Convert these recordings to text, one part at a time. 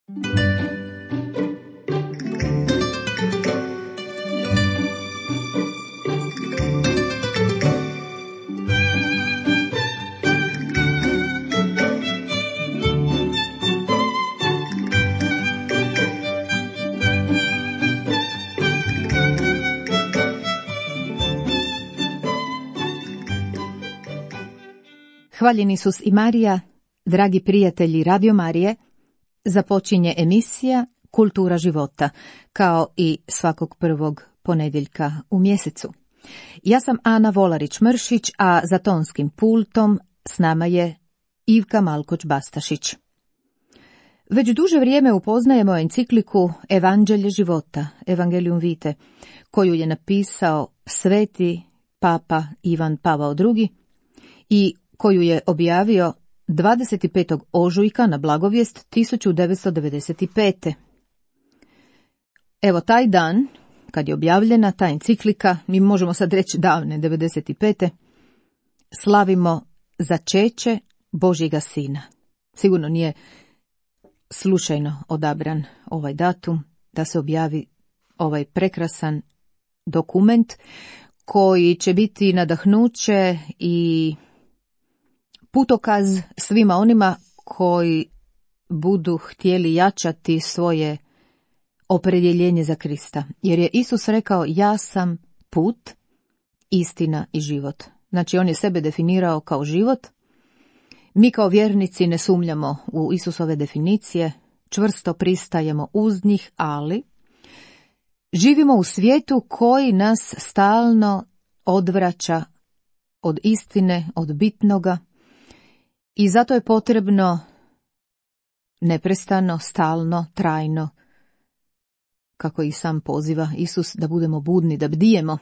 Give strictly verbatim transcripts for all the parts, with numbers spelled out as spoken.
Hvaljen Isus i Marija, dragi prijatelji Radio Marije, započinje emisija Kultura života, kao i svakog prvog ponedjeljka u mjesecu. Ja sam Ana Volarić-Mršić, a za tonskim pultom s nama je Ivka Malkoć-Bastašić. Već duže vrijeme upoznajemo encikliku Evanđelje života, Evangelium Vitae, koju je napisao sveti Papa Ivan Pavao drugi i koju je objavio dvadeset petog ožujka na Blagovijest tisuću devetsto devedeset pete. Evo taj dan, kad je objavljena ta enciklika, mi možemo sad reći davne devedeset pete, slavimo začeće Božjega Sina. Sigurno nije slučajno odabran ovaj datum da se objavi ovaj prekrasan dokument koji će biti nadahnuće i putokaz svima onima koji budu htjeli jačati svoje opredjeljenje za Krista. Jer je Isus rekao, ja sam put, istina i život. Znači on je sebe definirao kao život. Mi kao vjernici ne sumnjamo u Isusove definicije, čvrsto pristajemo uz njih, ali živimo u svijetu koji nas stalno odvraća od istine, od bitnoga. I zato je potrebno neprestano, stalno, trajno, kako i sam poziva Isus, da budemo budni, da bdijemo.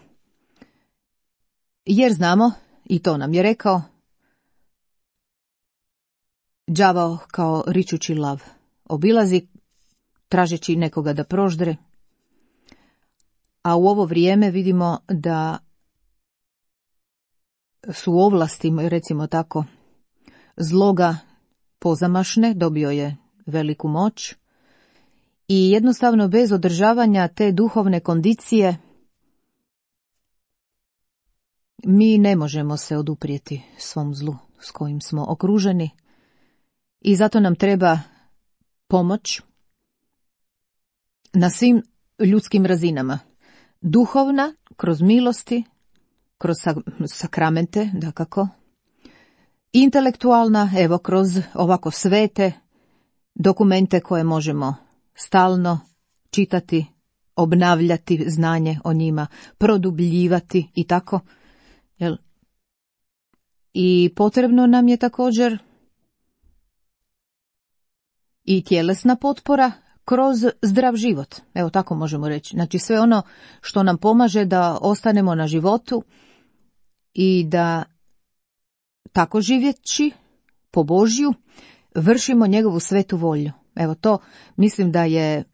Jer znamo, i to nam je rekao, đavao kao ričući lav obilazi, tražeći nekoga da proždre, a u ovo vrijeme vidimo da su ovlasti, recimo tako, zloga pozamašne, dobio je veliku moć i jednostavno bez održavanja te duhovne kondicije mi ne možemo se oduprijeti svom zlu s kojim smo okruženi i zato nam treba pomoć na svim ljudskim razinama. Duhovna, kroz milosti, kroz sakramente, dakako, intelektualna, evo kroz ovako svete dokumente koje možemo stalno čitati, obnavljati znanje o njima, produbljivati i tako. Jel? I potrebno nam je također i tjelesna potpora kroz zdrav život. Evo tako možemo reći. Znači sve ono što nam pomaže da ostanemo na životu i da tako živjeći po Božju vršimo njegovu svetu volju. Evo to mislim da je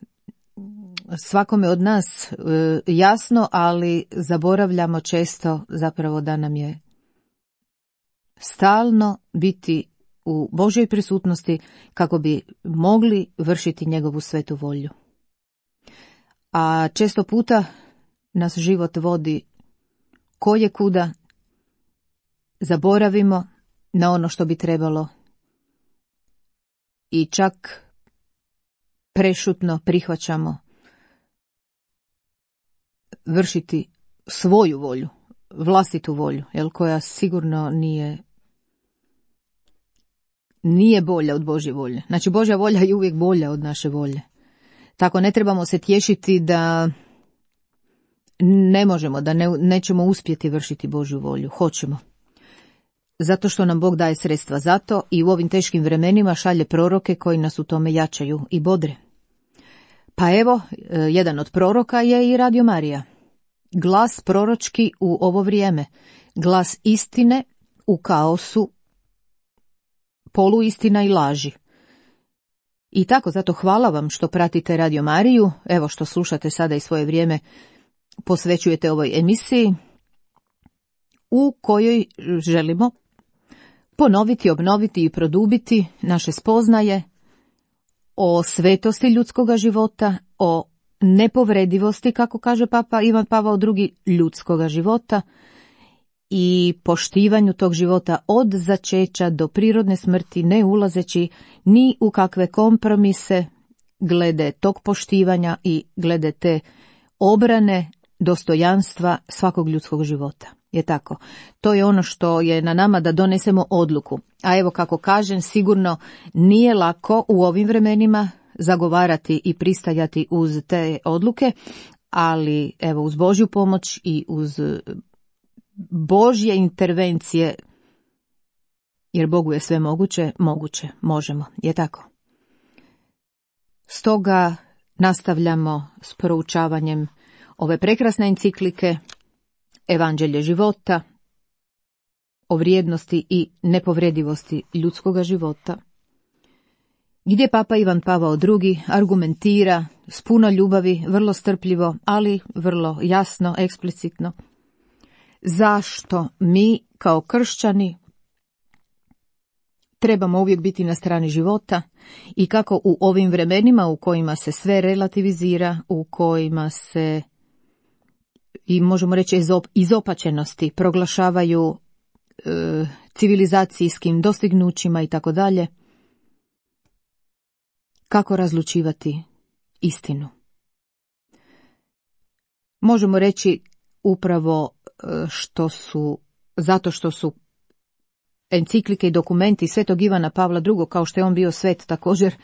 svakome od nas e, jasno, ali zaboravljamo često zapravo da nam je stalno biti u Božjoj prisutnosti kako bi mogli vršiti njegovu svetu volju. A često puta nas život vodi koje kuda, zaboravimo na ono što bi trebalo i čak prešutno prihvaćamo vršiti svoju volju, vlastitu volju, jel, koja sigurno nije nije bolja od Božje volje. Znači Božja volja je uvijek bolja od naše volje. Tako ne trebamo se tješiti da ne možemo, da ne, nećemo uspjeti vršiti Božju volju. Hoćemo. Zato što nam Bog daje sredstva za to i u ovim teškim vremenima šalje proroke koji nas u tome jačaju i bodre. Pa evo, jedan od proroka je i Radio Marija. Glas proročki u ovo vrijeme. Glas istine u kaosu, poluistina i laži. I tako, zato hvala vam što pratite Radio Mariju, evo što slušate sada i svoje vrijeme posvećujete ovoj emisiji, u kojoj želimo ponoviti, obnoviti i produbiti naše spoznaje o svetosti ljudskoga života, o nepovredivosti, kako kaže Papa Ivan Pavao drugi, ljudskoga života i poštivanju tog života od začeća do prirodne smrti, ne ulazeći ni u kakve kompromise glede tog poštivanja i glede te obrane dostojanstva svakog ljudskog života. Je tako. To je ono što je na nama da donesemo odluku. A evo, kako kažem, sigurno nije lako u ovim vremenima zagovarati i pristajati uz te odluke, ali evo, uz Božju pomoć i uz Božje intervencije, jer Bogu je sve moguće, moguće, možemo. Je tako. Stoga nastavljamo s proučavanjem ove prekrasne enciklike Evanđelje života, o vrijednosti i nepovredivosti ljudskoga života, gdje Papa Ivan Pavao drugi argumentira s puno ljubavi, vrlo strpljivo, ali vrlo jasno, eksplicitno, zašto mi kao kršćani trebamo uvijek biti na strani života i kako u ovim vremenima u kojima se sve relativizira, u kojima se i možemo reći izopačenosti proglašavaju e, civilizacijskim dostignućima i tako dalje, kako razlučivati istinu. Možemo reći upravo što su, zato što su enciklike i dokumenti Svetog Ivana Pavla drugog, kao što je on bio svet, također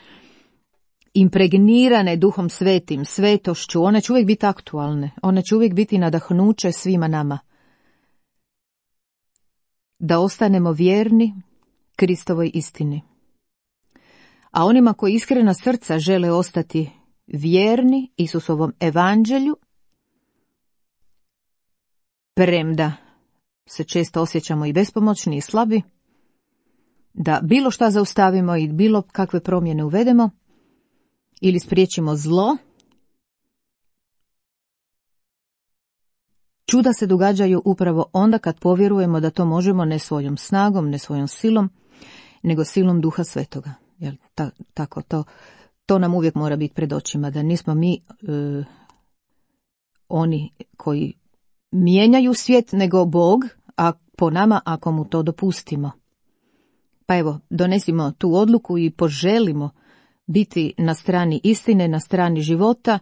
impregnirane Duhom Svetim, svetošću, one će uvijek biti aktualne, one će uvijek biti nadahnuće svima nama. Da ostanemo vjerni Kristovoj istini. A onima koji iskrena srca žele ostati vjerni Isusovom evanđelju, premda se često osjećamo i bespomoćni i slabi, da bilo šta zaustavimo i bilo kakve promjene uvedemo, ili spriječimo zlo, čuda se događaju upravo onda kad povjerujemo da to možemo ne svojom snagom, ne svojom silom, nego silom Duha Svetoga. Jel, ta, tako, to, to nam uvijek mora biti pred očima, da nismo mi e, oni koji mijenjaju svijet, nego Bog, a po nama ako mu to dopustimo. Pa evo, donesimo tu odluku i poželimo biti na strani istine, na strani života,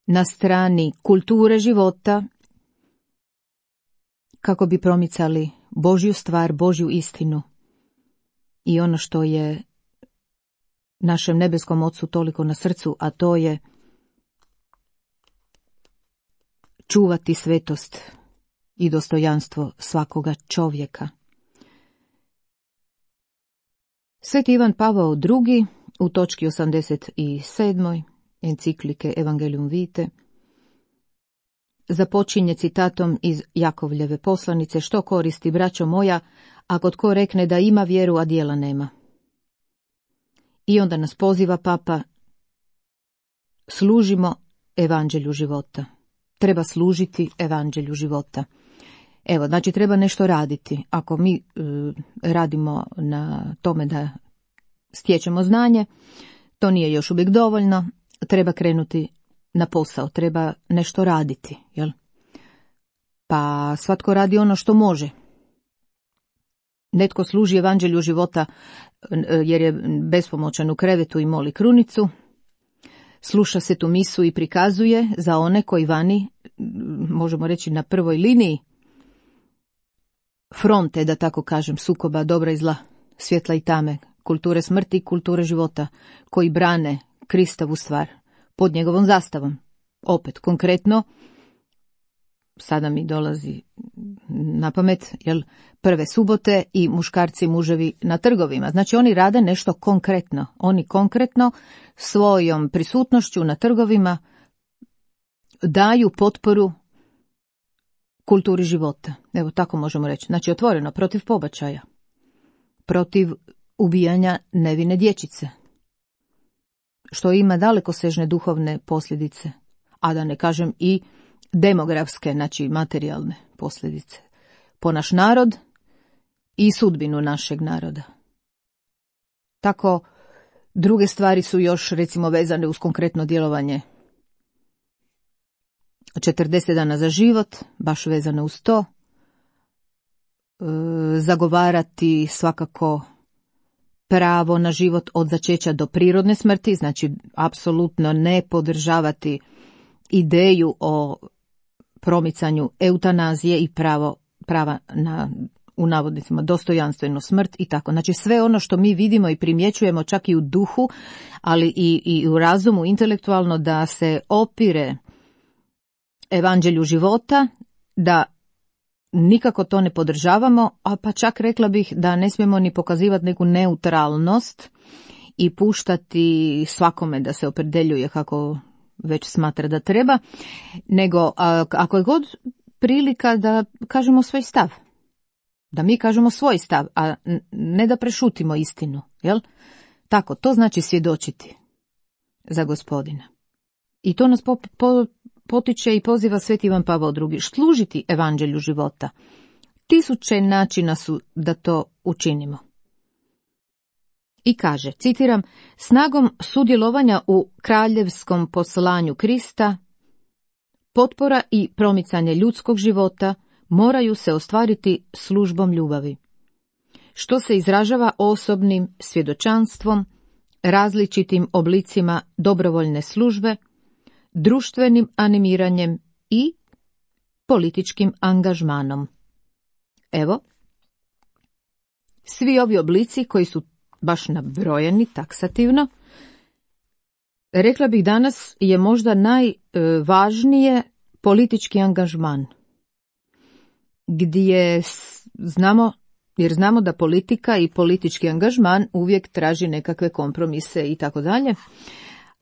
na strani kulture života, kako bi promicali Božju stvar, Božju istinu i ono što je našem nebeskom Ocu toliko na srcu, a to je čuvati svetost i dostojanstvo svakoga čovjeka. Sveti Ivan Pavao drugi u točki osamdeset sedam enciklike Evangelium Vitae započinje citatom iz Jakovljeve poslanice: što koristi, braćo moja, ako tko rekne da ima vjeru, a djela nema. I onda nas poziva Papa: služimo evanđelju života. Treba služiti evanđelju života. Evo, znači treba nešto raditi. Ako mi e, radimo na tome da stječemo znanje, to nije još uvijek dovoljno, treba krenuti na posao, treba nešto raditi, jel? Pa svatko radi ono što može. Netko služi evanđelju života jer je bespomoćan u krevetu i moli krunicu, sluša se tu misu i prikazuje za one koji vani, možemo reći na prvoj liniji fronte, da tako kažem, sukoba dobra i zla, svjetla i tame, kulture smrti i kulture života, koji brane Kristovu stvar pod njegovom zastavom. Opet, konkretno, sada mi dolazi na pamet, jel, prve subote i muškarci i muževi na trgovima. Znači oni rade nešto konkretno. Oni konkretno svojom prisutnošću na trgovima daju potporu kulturi života. Evo, tako možemo reći. Znači otvoreno, protiv pobačaja, protiv ubijanja nevine dječice, što ima dalekosežne duhovne posljedice, a da ne kažem i demografske, znači materijalne posljedice po naš narod i sudbinu našeg naroda. Tako Druge stvari su još recimo vezane uz konkretno djelovanje četrdeset dana za život, baš vezano uz to. E, zagovarati svakako pravo na život od začeća do prirodne smrti, znači apsolutno ne podržavati ideju o promicanju eutanazije i pravo, prava na, u navodnicima, dostojanstvenu smrt i tako. Znači sve ono što mi vidimo i primjećujemo čak i u duhu, ali i, i u razumu intelektualno, da se opire evanđelju života, da nikako to ne podržavamo, a pa čak rekla bih da ne smijemo ni pokazivati neku neutralnost i puštati svakome da se opredeljuje kako već smatra da treba, nego a, ako je god prilika da kažemo svoj stav, da mi kažemo svoj stav, a ne da prešutimo istinu, jel? Tako, to znači svjedočiti za Gospodina. I to nas po, po, potiče i poziva Sveti Ivan Pavao drugi. Služiti evanđelju života. Tisuće načina su da to učinimo. I kaže, citiram, snagom sudjelovanja u kraljevskom poslanju Krista, potpora i promicanje ljudskog života moraju se ostvariti službom ljubavi, što se izražava osobnim svjedočanstvom, različitim oblicima dobrovoljne službe, društvenim animiranjem i političkim angažmanom. Evo, svi ovi oblici koji su baš nabrojeni taksativno, rekla bih danas je možda najvažnije politički angažman, gdje znamo, jer znamo da politika i politički angažman uvijek traži nekakve kompromise i tako dalje,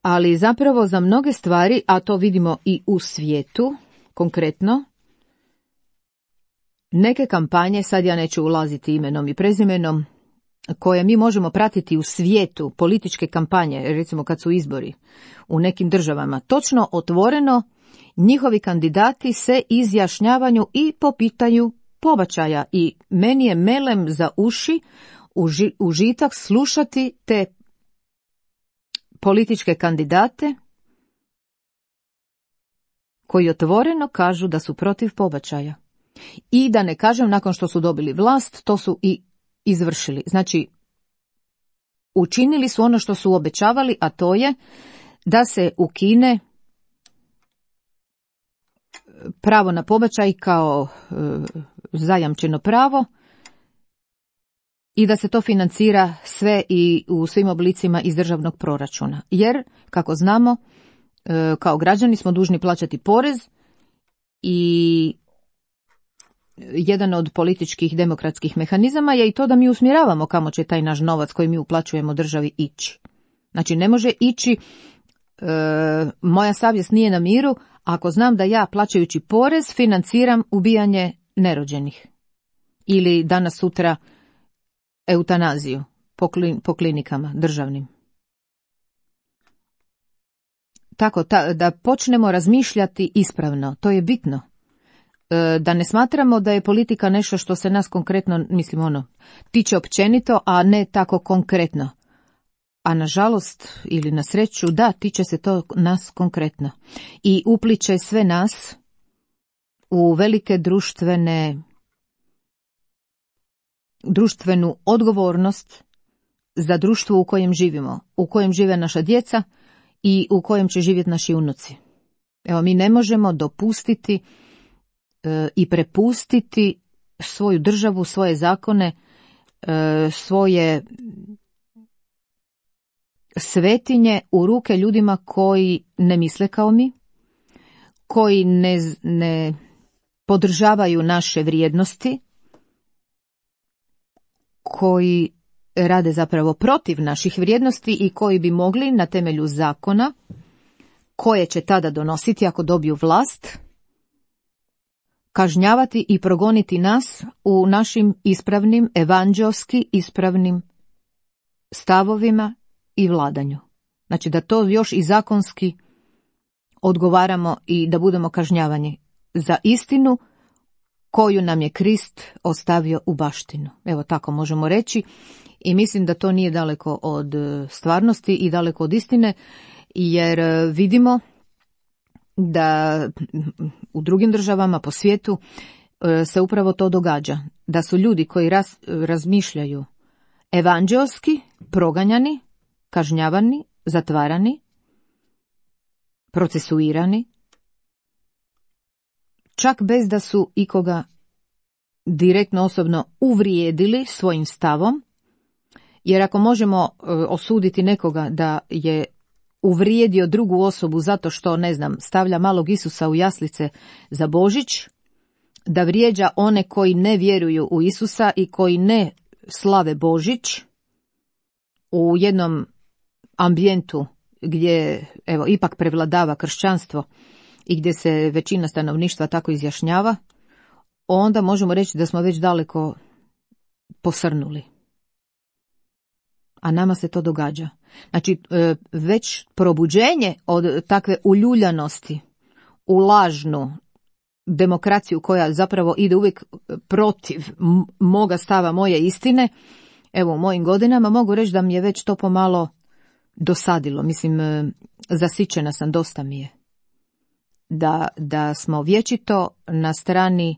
ali zapravo za mnoge stvari, a to vidimo i u svijetu, konkretno, neke kampanje, sad ja neću ulaziti imenom i prezimenom, koje mi možemo pratiti u svijetu, političke kampanje, recimo kad su izbori u nekim državama, točno otvoreno njihovi kandidati se izjašnjavaju i po pitanju pobačaja i meni je melem za uši uži, užitak slušati te političke kandidate koji otvoreno kažu da su protiv pobačaja. I da ne kažem, nakon što su dobili vlast, to su i izvršili. Znači, učinili su ono što su obećavali, a to je da se ukine pravo na pobačaj kao e, zajamčeno pravo i da se to financira sve i u svim oblicima iz državnog proračuna. Jer, kako znamo, e, kao građani smo dužni plaćati porez i jedan od političkih demokratskih mehanizama je i to da mi usmjeravamo kamo će taj naš novac koji mi uplaćujemo državi ići. Znači ne može ići, e, moja savjest nije na miru ako znam da ja plaćajući porez financiram ubijanje nerođenih ili danas sutra eutanaziju po, klin, po klinikama državnim. Tako ta, da počnemo razmišljati ispravno, to je bitno. Da ne smatramo da je politika nešto što se nas konkretno, mislim ono, tiče općenito, a ne tako konkretno. A nažalost, ili na sreću, da, tiče se to nas konkretno. I upliče sve nas u velike društvene, društvenu odgovornost za društvo u kojem živimo, u kojem žive naša djeca i u kojem će živjeti naši unuci. Evo, mi ne možemo dopustiti i prepustiti svoju državu, svoje zakone, svoje svetinje u ruke ljudima koji ne misle kao mi, koji ne, ne podržavaju naše vrijednosti, koji rade zapravo protiv naših vrijednosti i koji bi mogli na temelju zakona, koje će tada donositi ako dobiju vlast, kažnjavati i progoniti nas u našim ispravnim, evanđelski ispravnim stavovima i vladanju. Znači da to još i zakonski odgovaramo i da budemo kažnjavani za istinu koju nam je Krist ostavio u baštinu. Evo tako možemo reći i mislim da to nije daleko od stvarnosti i daleko od istine, jer vidimo da u drugim državama po svijetu se upravo to događa. Da su ljudi koji raz, razmišljaju evanđelski proganjani, kažnjavani, zatvarani, procesuirani, čak bez da su ikoga direktno osobno uvrijedili svojim stavom, jer ako možemo osuditi nekoga da je uvrijedio drugu osobu zato što, ne znam, stavlja malog Isusa u jaslice za Božić, da vrijeđa one koji ne vjeruju u Isusa i koji ne slave Božić u jednom ambijentu gdje, evo, ipak prevladava kršćanstvo i gdje se većina stanovništva tako izjašnjava, onda možemo reći da smo već daleko posrnuli. A nama se to događa. Znači, već probuđenje od takve uljuljanosti u lažnu demokraciju koja zapravo ide uvijek protiv moga stava, moje istine, evo u mojim godinama mogu reći da mi je već to pomalo dosadilo. Mislim, zasićena sam, dosta mi je. Da, da smo vječito na strani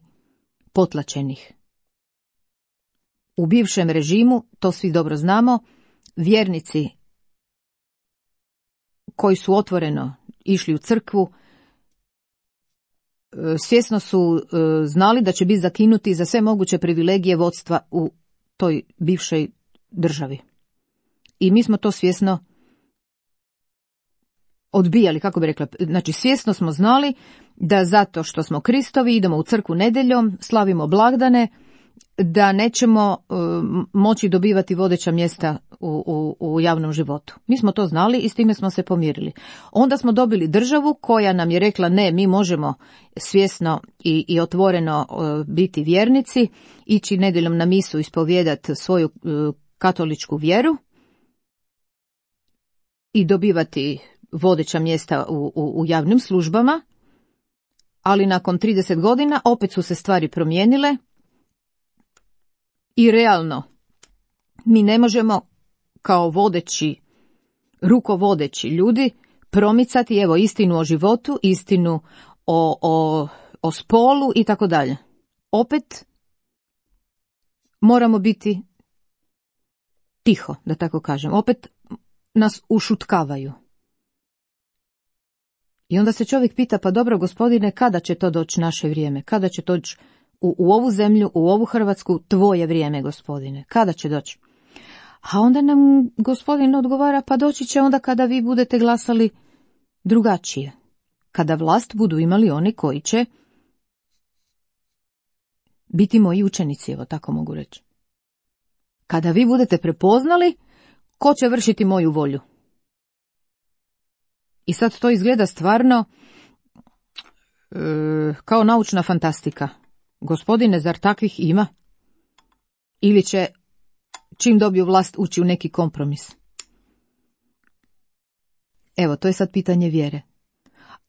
potlačenih. U bivšem režimu, to svi dobro znamo, vjernici koji su otvoreno išli u crkvu, svjesno su znali da će biti zakinuti za sve moguće privilegije vodstva u toj bivšoj državi. I mi smo to svjesno odbijali, kako bi rekla, znači svjesno smo znali da zato što smo Kristovi, idemo u crkvu nedjeljom, slavimo blagdane, da nećemo uh, moći dobivati vodeća mjesta u, u, u javnom životu. Mi smo to znali i s time smo se pomirili. Onda smo dobili državu koja nam je rekla ne, mi možemo svjesno i, i otvoreno uh, biti vjernici, ići nedjeljom na misu, ispovijedati svoju uh, katoličku vjeru i dobivati vodeća mjesta u, u, u javnim službama, ali nakon trideset godina opet su se stvari promijenile i realno mi ne možemo kao vodeći, rukovodeći ljudi promicati evo istinu o životu, istinu o, o, o spolu i tako dalje. Opet moramo biti tiho, da tako kažem. Opet nas ušutkavaju. I onda se čovjek pita, pa dobro gospodine, kada će to doći naše vrijeme? Kada će doći u, u ovu zemlju, u ovu Hrvatsku, tvoje vrijeme, gospodine? Kada će doći? A onda nam gospodin odgovara, pa doći će onda kada vi budete glasali drugačije. Kada vlast budu imali oni koji će biti moji učenici, evo tako mogu reći. Kada vi budete prepoznali ko će vršiti moju volju. I sad to izgleda stvarno e, kao naučna fantastika. Gospodine, zar takvih ima? Ili će, čim dobiju vlast, ući u neki kompromis? Evo, to je sad pitanje vjere.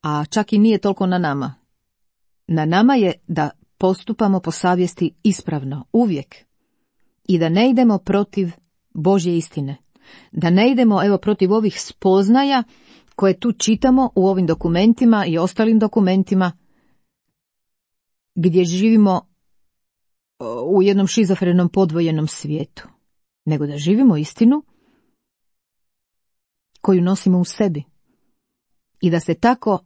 A čak i nije toliko na nama. Na nama je da postupamo po savjesti ispravno, uvijek. I da ne idemo protiv Božje istine. Da ne idemo, evo, protiv ovih spoznaja koje tu čitamo u ovim dokumentima i ostalim dokumentima gdje živimo u jednom šizofrenom podvojenom svijetu, nego da živimo istinu koju nosimo u sebi i da se tako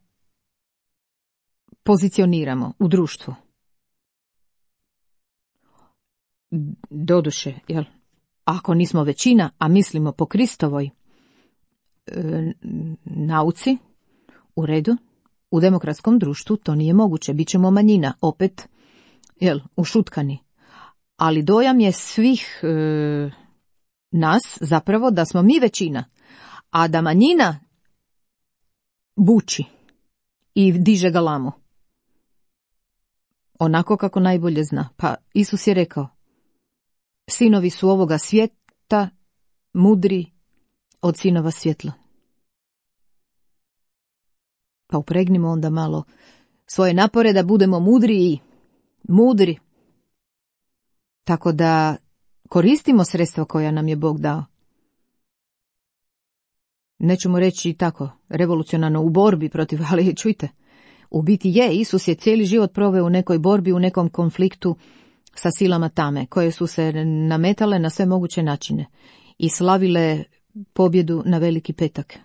pozicioniramo u društvu. Doduše, jel, ako nismo većina, a mislimo po Kristovoj e, nauci, u redu, u demokratskom društvu to nije moguće, bit ćemo manjina, opet, jel, ušutkani. Ali dojam je svih e, nas zapravo da smo mi većina, a da manjina buči i diže galamu. Onako kako najbolje zna. Pa Isus je rekao, sinovi su ovoga svijeta mudri od sinova svjetla. Pa upregnimo onda malo svoje napore da budemo mudriji mudri. Tako da koristimo sredstva koja nam je Bog dao. Nećemo reći tako, revolucionarno u borbi protiv, ali čujte, u biti je, Isus je cijeli život proveo u nekoj borbi, u nekom konfliktu sa silama tame, koje su se nametale na sve moguće načine i slavile pobjedu na Veliki petak.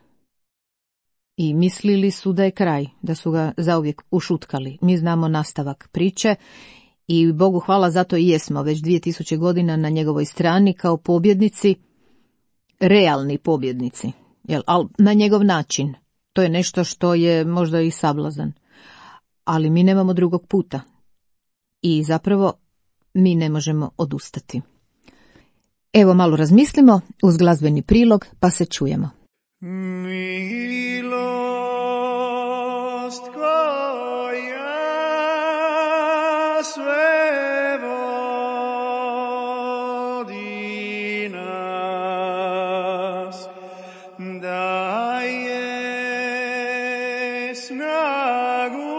I mislili su da je kraj, da su ga zauvijek ušutkali. Mi znamo nastavak priče i Bogu hvala, zato i jesmo već dvije tisuće godina na njegovoj strani kao pobjednici, realni pobjednici, jel, ali na njegov način. To je nešto što je možda i sablazan. Ali mi nemamo drugog puta. I zapravo mi ne možemo odustati. Evo malo razmislimo uz glazbeni prilog pa se čujemo. Milost koja sve vodi nas, daje snagu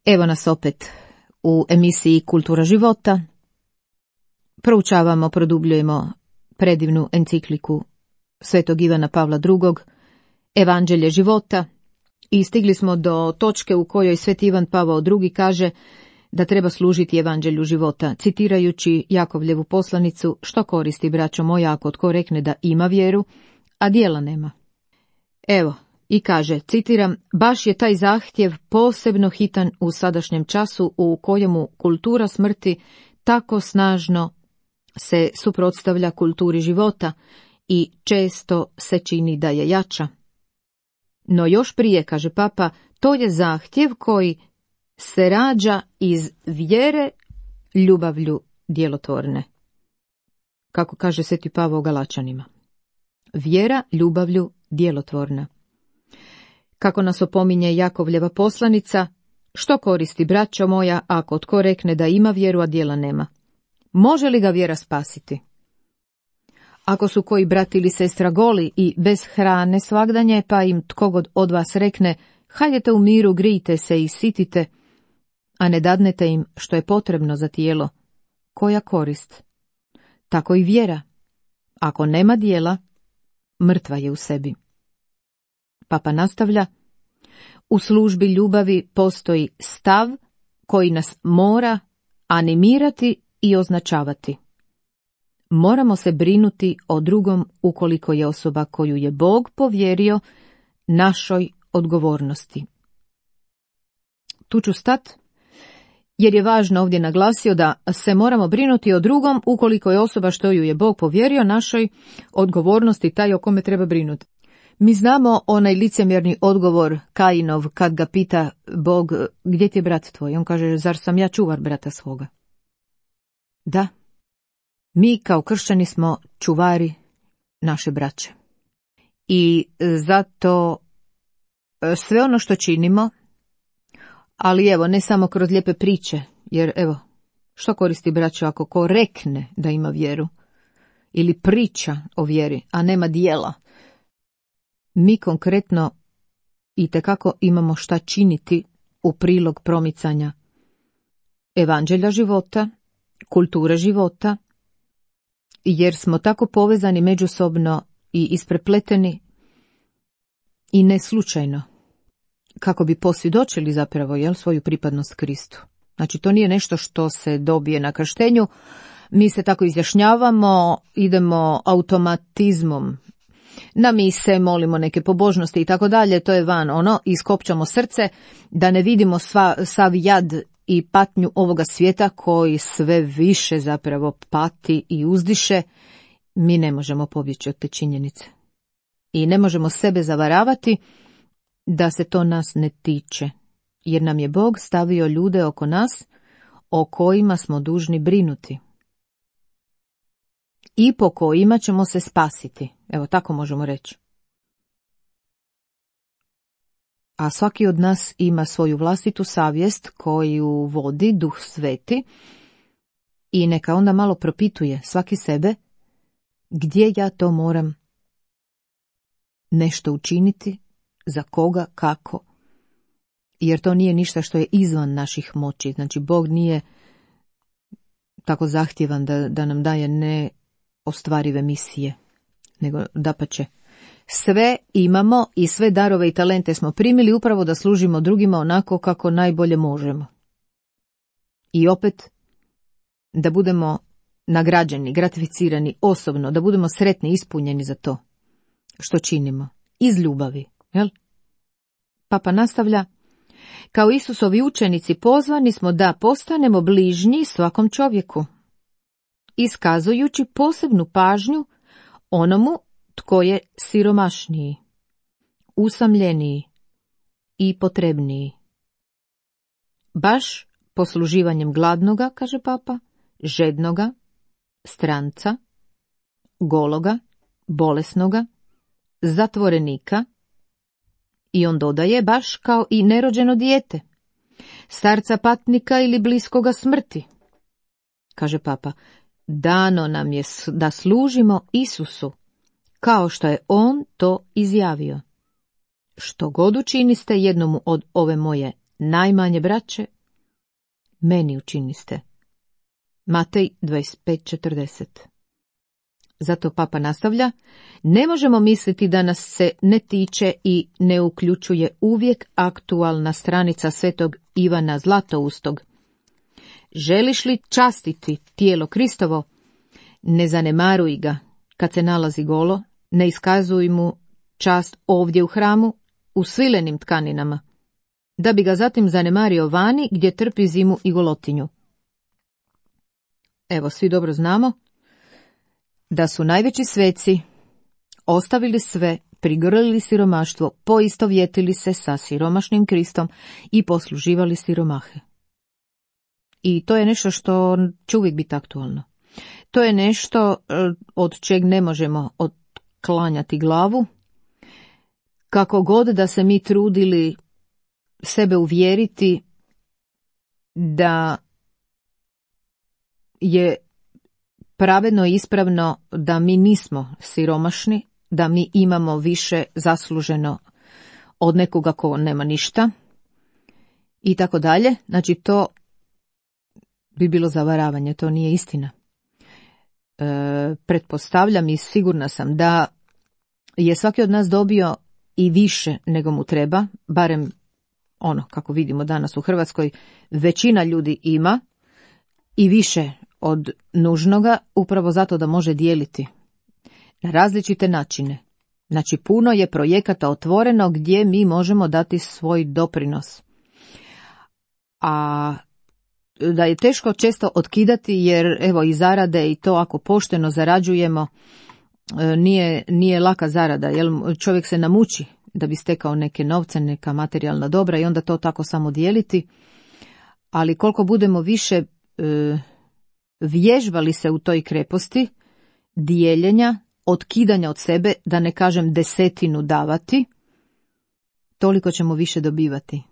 Evo nas opet u emisiji Kultura života. Proučavamo, produbljujemo predivnu encikliku Svetog Ivana Pavla drugog, Evanđelje života, i stigli smo do točke u kojoj Sveti Ivan Pavao drugi kaže da treba služiti Evanđelju života, citirajući Jakovljevu poslanicu: što koristi, braćo moja, ako tko rekne da ima vjeru, a djela nema. Evo, i kaže, citiram, baš je taj zahtjev posebno hitan u sadašnjem času u kojemu kultura smrti tako snažno se suprotstavlja kulturi života i često se čini da je jača. No još prije, kaže papa, to je zahtjev koji se rađa iz vjere ljubavlju djelotvorne. Kako kaže Sveti Pavao Galačanima. Vjera ljubavlju djelotvorna. Kako nas opominje Jakovljeva poslanica, što koristi, braćo moja, ako tko rekne da ima vjeru, a djela nema? Može li ga vjera spasiti? Ako su koji brat ili sestra goli i bez hrane svagdanje, pa im tko god od vas rekne, hajdete u miru, grijte se i sitite, a ne dadnete im što je potrebno za tijelo, koja korist? Tako i vjera. Ako nema dijela, mrtva je u sebi. Papa nastavlja, u službi ljubavi postoji stav koji nas mora animirati i označavati. Moramo se brinuti o drugom ukoliko je osoba koju je Bog povjerio našoj odgovornosti. Tu ću stat, jer je važno ovdje naglasio da se moramo brinuti o drugom ukoliko je osoba što ju je Bog povjerio našoj odgovornosti taj o kome treba brinuti. Mi znamo onaj licemjerni odgovor Kainov kad ga pita Bog, gdje ti je brat tvoj? On kaže, zar sam ja čuvar brata svoga? Da, mi kao kršćani smo čuvari naše braće. I zato sve ono što činimo, ali evo, ne samo kroz lijepe priče, jer evo, što koristi braćo ako ko rekne da ima vjeru ili priča o vjeri, a nema dijela. Mi konkretno itekako imamo šta činiti u prilog promicanja evanđelja života, kulture života, jer smo tako povezani međusobno i isprepleteni i ne slučajno, kako bi posvjedočili zapravo jel, svoju pripadnost Kristu. Znači, to nije nešto što se dobije na krštenju, mi se tako izjašnjavamo, idemo automatizmom na mise, molimo neke pobožnosti i tako dalje, to je van ono, iskopčamo srce da ne vidimo sva, sav jad i patnju ovoga svijeta koji sve više zapravo pati i uzdiše. Mi ne možemo pobjeći od te činjenice. I ne možemo sebe zavaravati da se to nas ne tiče, jer nam je Bog stavio ljude oko nas o kojima smo dužni brinuti i po kojima ćemo se spasiti. Evo, tako možemo reći. A svaki od nas ima svoju vlastitu savjest koju vodi Duh Sveti i neka onda malo propituje svaki sebe gdje ja to moram nešto učiniti, za koga, kako. Jer to nije ništa što je izvan naših moći. Znači, Bog nije tako zahtjevan da, da nam daje neostvarive misije, nego dapače. Sve imamo i sve darove i talente smo primili upravo da služimo drugima onako kako najbolje možemo. I opet, da budemo nagrađeni, gratificirani osobno, da budemo sretni, ispunjeni za to što činimo. Iz ljubavi. Jel? Papa nastavlja, kao Isusovi učenici pozvani smo da postanemo bližnji svakom čovjeku, iskazujući posebnu pažnju onomu tko je siromašniji, usamljeniji i potrebniji. Baš posluživanjem gladnoga, kaže Papa, žednoga, stranca, gologa, bolesnoga, zatvorenika, i on dodaje baš kao i nerođeno dijete, starca patnika ili bliskoga smrti. Kaže Papa, dano nam je da služimo Isusu, kao što je on to izjavio. Što god učiniste jednomu od ove moje najmanje braće, meni učiniste. Matej dvadeset pet četrdeset. Zato Papa nastavlja, ne možemo misliti da nas se ne tiče i ne uključuje uvijek aktualna stranica svetog Ivana Zlatoustog. Želiš li častiti tijelo Kristovo? Ne zanemaruj ga kad se nalazi golo, ne iskazuj mu čast ovdje u hramu, u svilenim tkaninama, da bi ga zatim zanemario vani gdje trpi zimu i golotinju. Evo, svi dobro znamo da su najveći sveci ostavili sve, prigrlili siromaštvo, poistovjetili se sa siromašnim Kristom i posluživali siromahe. I to je nešto što će uvijek biti aktualno. To je nešto od čeg ne možemo otklanjati glavu, kako god da se mi trudili sebe uvjeriti da je pravedno i ispravno da mi nismo siromašni, da mi imamo više zasluženo od nekoga ko nema ništa i tako dalje. Znači to bi bilo zavaravanje, to nije istina. E, pretpostavljam i sigurna sam da je svaki od nas dobio i više nego mu treba, barem ono kako vidimo danas u Hrvatskoj, većina ljudi ima i više od nužnoga, upravo zato da može dijeliti na različite načine. Znači puno je projekata otvoreno gdje mi možemo dati svoj doprinos. A da je teško često otkidati jer evo i zarade i to ako pošteno zarađujemo nije, nije laka zarada, jer čovjek se namuči da bi stekao neke novce, neka materijalna dobra i onda to tako samo dijeliti. Ali koliko budemo više e, vježbali se u toj kreposti, dijeljenja, otkidanja od sebe, da ne kažem desetinu davati, toliko ćemo više dobivati.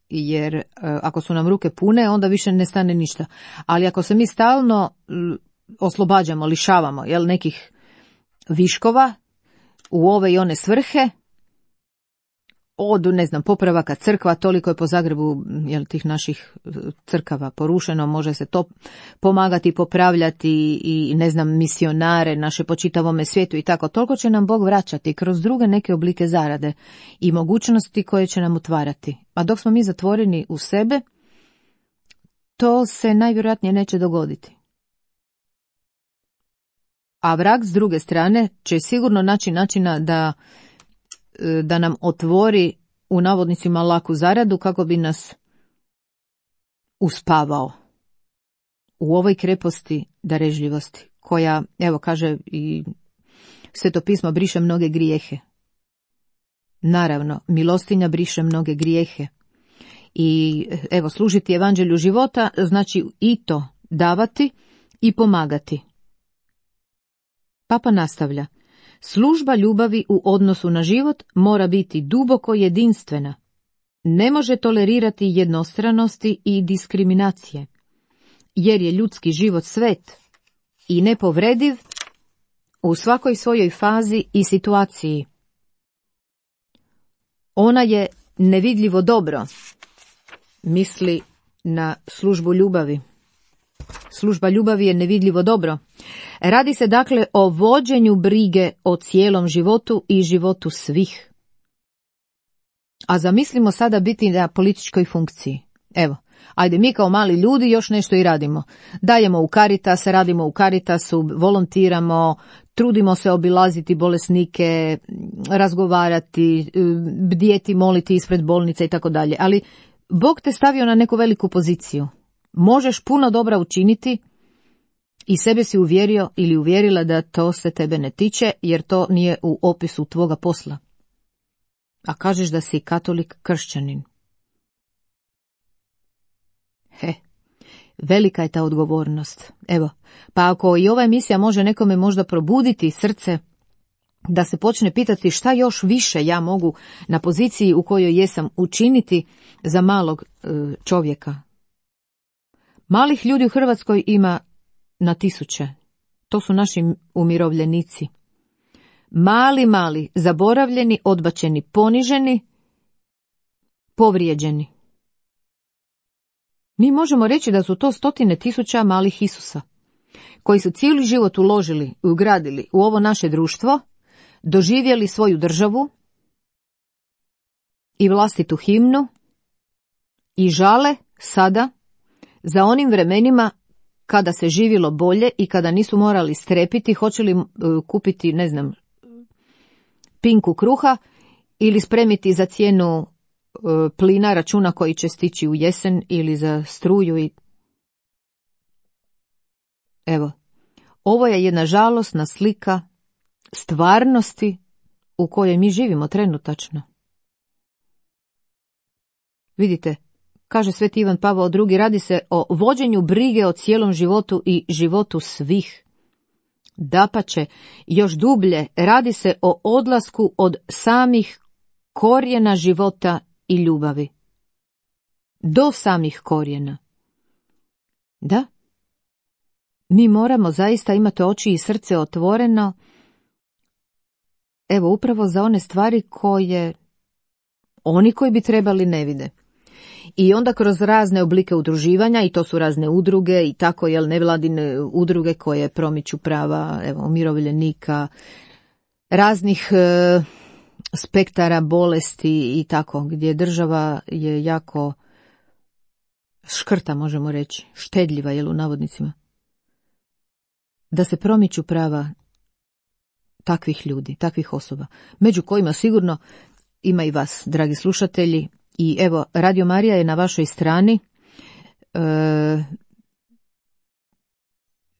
Jer e, ako su nam ruke pune, onda više ne stane ništa. Ali ako se mi stalno e, oslobađamo, lišavamo jel, nekih viškova u ove i one svrhe, od, ne znam, popravaka crkva, toliko je po Zagrebu jel, tih naših crkava porušeno, može se to pomagati, popravljati i, ne znam, misionare naše po čitavome svijetu i tako. Toliko će nam Bog vraćati kroz druge neke oblike zarade i mogućnosti koje će nam otvarati. A dok smo mi zatvoreni u sebe, to se najvjerojatnije neće dogoditi. A vrag s druge strane će sigurno naći načina da da nam otvori u navodnicima laku zaradu kako bi nas uspavao u ovoj kreposti darežljivosti koja, evo kaže i Sveto pismo, briše mnoge grijehe. Naravno, milostinja briše mnoge grijehe. I evo, služiti evanđelju života znači i to davati i pomagati. Papa nastavlja. Služba ljubavi u odnosu na život mora biti duboko jedinstvena. Ne može tolerirati jednostranosti i diskriminacije, jer je ljudski život svet i nepovrediv u svakoj svojoj fazi i situaciji. Ona je nevidljivo dobro, misli na službu ljubavi. Služba ljubavi je nevidljivo dobro. Radi se dakle o vođenju brige o cijelom životu i životu svih. A zamislimo sada biti na političkoj funkciji. Evo, ajde mi kao mali ljudi još nešto i radimo. Dajemo u Caritas, radimo u Caritasu, volontiramo, trudimo se obilaziti bolesnike, razgovarati, bdjeti, moliti ispred bolnice i tako dalje. Ali Bog te stavio na neku veliku poziciju. Možeš puno dobra učiniti i sebe si uvjerio ili uvjerila da to se tebe ne tiče, jer to nije u opisu tvoga posla. A kažeš da si katolik kršćanin. He, velika je ta odgovornost. Evo, pa ako i ova emisija može nekome možda probuditi srce, da se počne pitati šta još više ja mogu na poziciji u kojoj jesam učiniti za malog e, čovjeka. Malih ljudi u Hrvatskoj ima na tisuće. To su naši umirovljenici. Mali, mali, zaboravljeni, odbačeni, poniženi, povrijeđeni. Mi možemo reći da su to stotine tisuća malih Isusa, koji su cijeli život uložili i ugradili u ovo naše društvo, doživjeli svoju državu i vlastitu himnu i žale sada za onim vremenima kada se živjelo bolje i kada nisu morali strepiti hoće li uh, kupiti, ne znam, pinku kruha ili spremiti za cijenu uh, plina računa koji će stići u jesen ili za struju. I evo, ovo je jedna žalosna slika stvarnosti u kojoj mi živimo trenutačno. Vidite, kaže Sveti Ivan Pavao drugi, radi se o vođenju brige o cijelom životu i životu svih. Dapače, još dublje, radi se o odlasku od samih korijena života i ljubavi. Do samih korijena. Da? mi moramo zaista imati oči i srce otvoreno, evo upravo za one stvari koje oni koji bi trebali ne vide. I onda kroz razne oblike udruživanja, i to su razne udruge i tako, jel, nevladine udruge koje promiču prava, evo, umirovljenika, raznih e, spektara bolesti i tako, gdje država je jako škrta, možemo reći, štedljiva, jel, u navodnicima, da se promiču prava takvih ljudi, takvih osoba, među kojima sigurno ima i vas, dragi slušatelji. I evo, Radio Marija je na vašoj strani. E,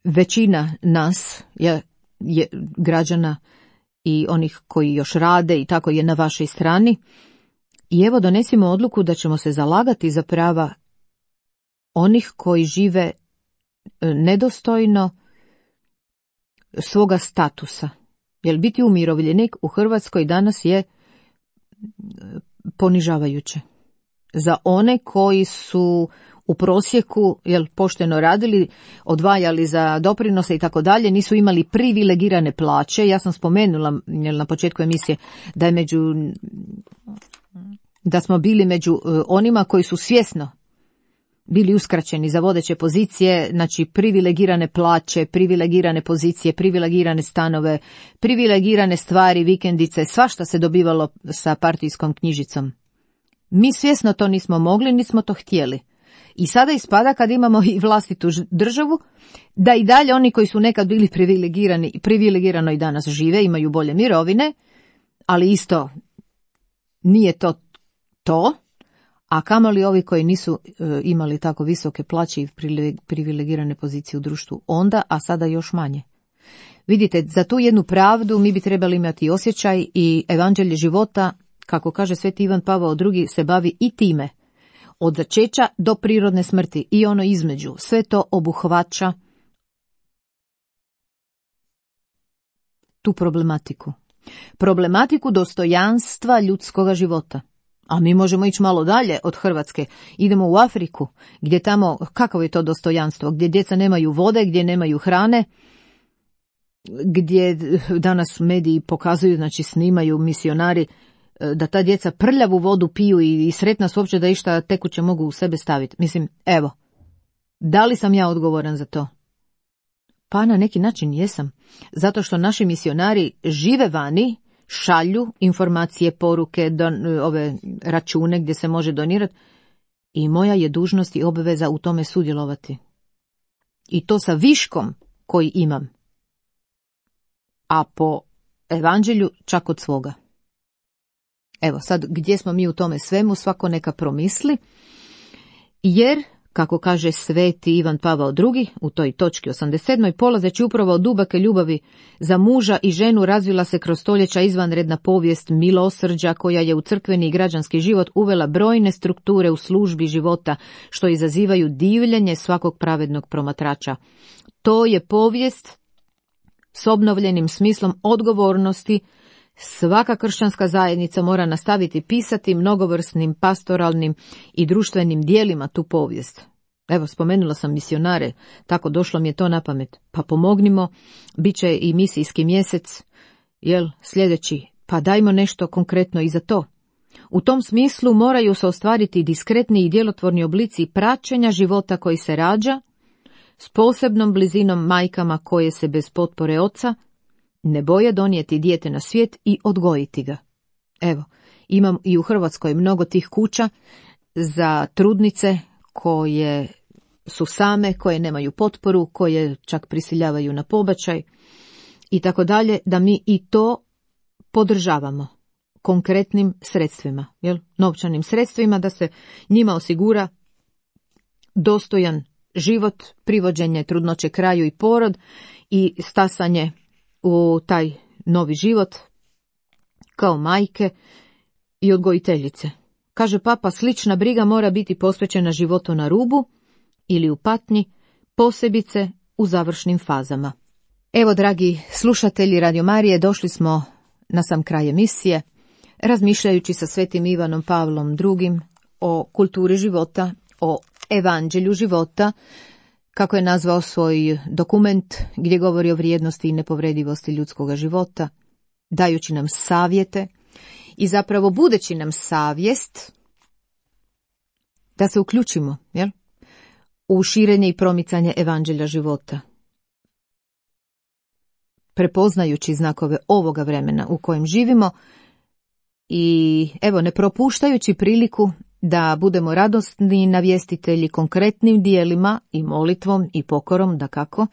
većina nas, je, je, građana i onih koji još rade i tako, je na vašoj strani. I evo, donesimo odluku da ćemo se zalagati za prava onih koji žive nedostojno svoga statusa. Jer biti umirovljenik u Hrvatskoj danas je ponižavajuće. Za one koji su u prosjeku, jel, pošteno radili, odvajali za doprinose i tako dalje, nisu imali privilegirane plaće. Ja sam spomenula, jel, na početku emisije da je među da smo bili među onima koji su svjesno bili uskraćeni za vodeće pozicije, znači privilegirane plaće, privilegirane pozicije, privilegirane stanove, privilegirane stvari, vikendice, svašta se dobivalo sa partijskom knjižicom. Mi svjesno to nismo mogli, nismo to htjeli. I sada ispada, kad imamo i vlastitu državu, da i dalje oni koji su nekad bili privilegirani, privilegirano i danas žive, imaju bolje mirovine, ali isto nije to to. A kamoli ovi koji nisu e, imali tako visoke plaće i privilegirane pozicije u društvu onda, a sada još manje. Vidite, za tu jednu pravdu mi bi trebali imati osjećaj, i evanđelje života, kako kaže sveti Ivan Pavao drugi, se bavi i time. Od začeća do prirodne smrti i ono između. Sve to obuhvaća tu problematiku. Problematiku dostojanstva ljudskoga života. A mi možemo ići malo dalje od Hrvatske. Idemo u Afriku, gdje tamo, kakvo je to dostojanstvo, gdje djeca nemaju vode, gdje nemaju hrane, gdje danas mediji pokazuju, znači snimaju misionari, da ta djeca prljavu vodu piju i, i sretna su uopće da išta tekuće mogu u sebe staviti. Mislim, evo, da li sam ja odgovoran za to? Pa na neki način jesam. Zato što naši misionari žive vani, šalju informacije, poruke, don, ove račune gdje se može donirati, i moja je dužnost i obveza u tome sudjelovati. I to sa viškom koji imam. A po evanđelju čak od svoga. Evo sad, gdje smo mi u tome svemu, svako neka promisli, jer, kako kaže sveti Ivan Pavao drugi u toj točki osamdeset sedam. polazeći upravo od dubake ljubavi za muža i ženu, razvila se kroz stoljeća izvanredna povijest milosrđa koja je u crkveni i građanski život uvela brojne strukture u službi života, što izazivaju divljenje svakog pravednog promatrača. To je povijest s obnovljenim smislom odgovornosti. Svaka kršćanska zajednica mora nastaviti pisati mnogovrsnim pastoralnim i društvenim dijelima tu povijest. Evo, spomenula sam misionare, tako došlo mi je to na pamet. Pa pomognimo, bit će i misijski mjesec, jel, sljedeći, pa dajmo nešto konkretno i za to. U tom smislu moraju se ostvariti diskretni i djelotvorni oblici praćenja života koji se rađa, s posebnom blizinom majkama koje se bez potpore oca ne boje donijeti dijete na svijet i odgojiti ga. Evo, imam i u Hrvatskoj mnogo tih kuća za trudnice koje su same, koje nemaju potporu, koje čak prisiljavaju na pobačaj i tako dalje, da mi i to podržavamo konkretnim sredstvima, jel? Novčanim sredstvima, da se njima osigura dostojan život, privođenje trudnoće kraju i porod i stasanje u taj novi život kao majke i odgojiteljice. Kaže papa, slična briga mora biti posvećena životu na rubu ili u patnji, posebice u završnim fazama. Evo, dragi slušatelji Radio Marije, došli smo na sam kraj emisije, razmišljajući sa svetim Ivanom Pavlom drugim o kulturi života, o evanđelju života kako je nazvao svoj dokument gdje govori o vrijednosti i nepovredivosti ljudskog života, dajući nam savjete i zapravo budeći nam savjest da se uključimo, jel? U širenje i promicanje evanđelja života, prepoznajući znakove ovoga vremena u kojem živimo i evo ne propuštajući priliku da budemo radosni navjestitelji konkretnim dijelima i molitvom i pokorom, dakako,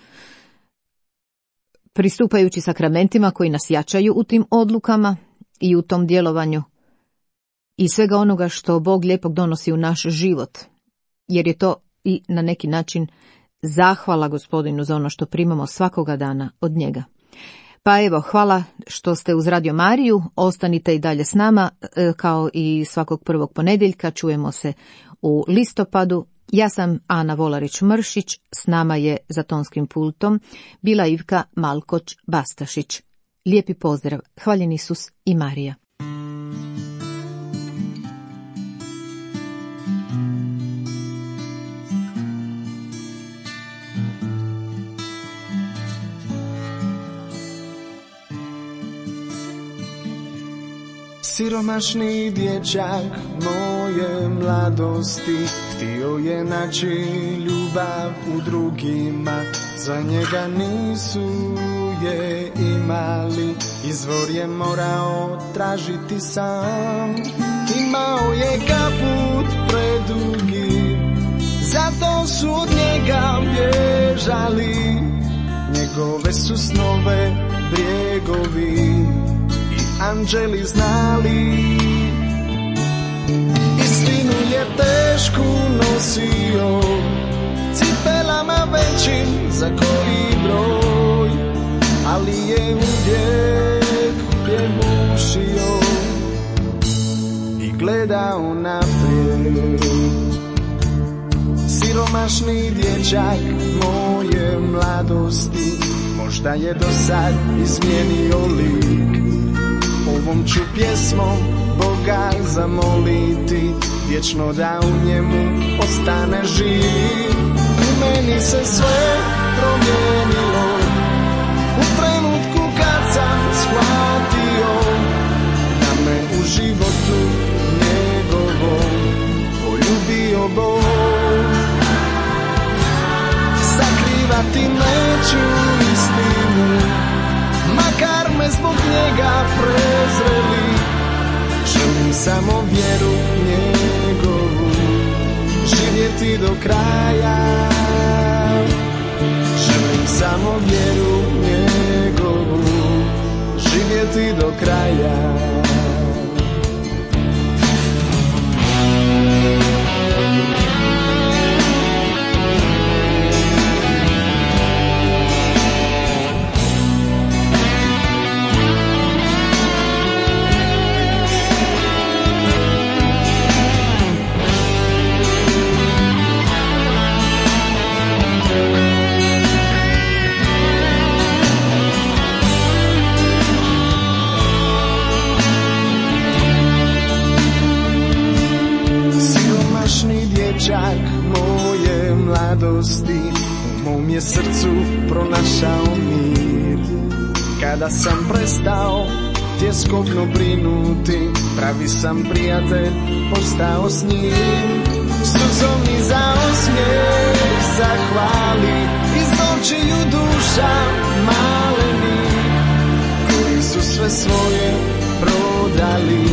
pristupajući sakramentima koji nas jačaju u tim odlukama i u tom djelovanju i svega onoga što Bog lijepog donosi u naš život, jer je to i na neki način zahvala Gospodinu za ono što primamo svakoga dana od njega. Pa evo, hvala što ste uz Radio Mariju, ostanite i dalje s nama, kao i svakog prvog ponedjeljka, čujemo se u listopadu. Ja sam Ana Volarić-Mršić, s nama je za tonskim pultom bila Ivka Malkoć-Bastašić. Lijepi pozdrav, hvaljen Isus i Marija. Siromašni dječak moje mladosti htio je naći ljubav u drugima, za njega nisu je imali, izvor je morao tražiti sam. Imao je kaput predugi, zato su od njega bježali, njegove su snove bjegovi anđeli znali. Istinu je tešku nosio, cipelama većim za koji broj, ali je uvijek pjevušio i gledao naprijed. Siromašni dječak moje mladosti, možda je do sad izmijenio lik. Ovom ću pjesmom Boga zamoliti, vječno da u njemu ostane živ. U meni se sve promijenilo u trenutku kad sam shvatio da me u životu njegovom poljubio Bog. Sakrivati neću istinu, makar me zbog njega prezreli. Želim samo vjeru njegovu, živjeti do kraja. Želim samo vjeru njegovu, živjeti do kraja. Dječak moje mladosti u mom je srcu pronašao mir. Kada sam prestao tjeskobno brinuti, pravi sam prijatelj postao s njim. Suzom mi za osmijeh zahvali, iz očiju duša maleni, koji su sve svoje prodali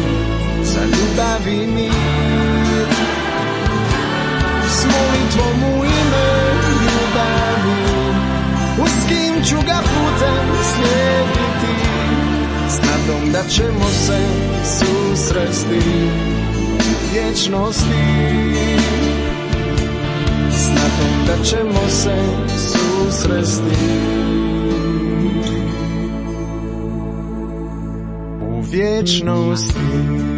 za ljubav i mir. S molitvom u ime ljubavi, uz kim ću ga putem slijediti, s nadom da ćemo se susresti u vječnosti. S nadom da ćemo se susresti u vječnosti.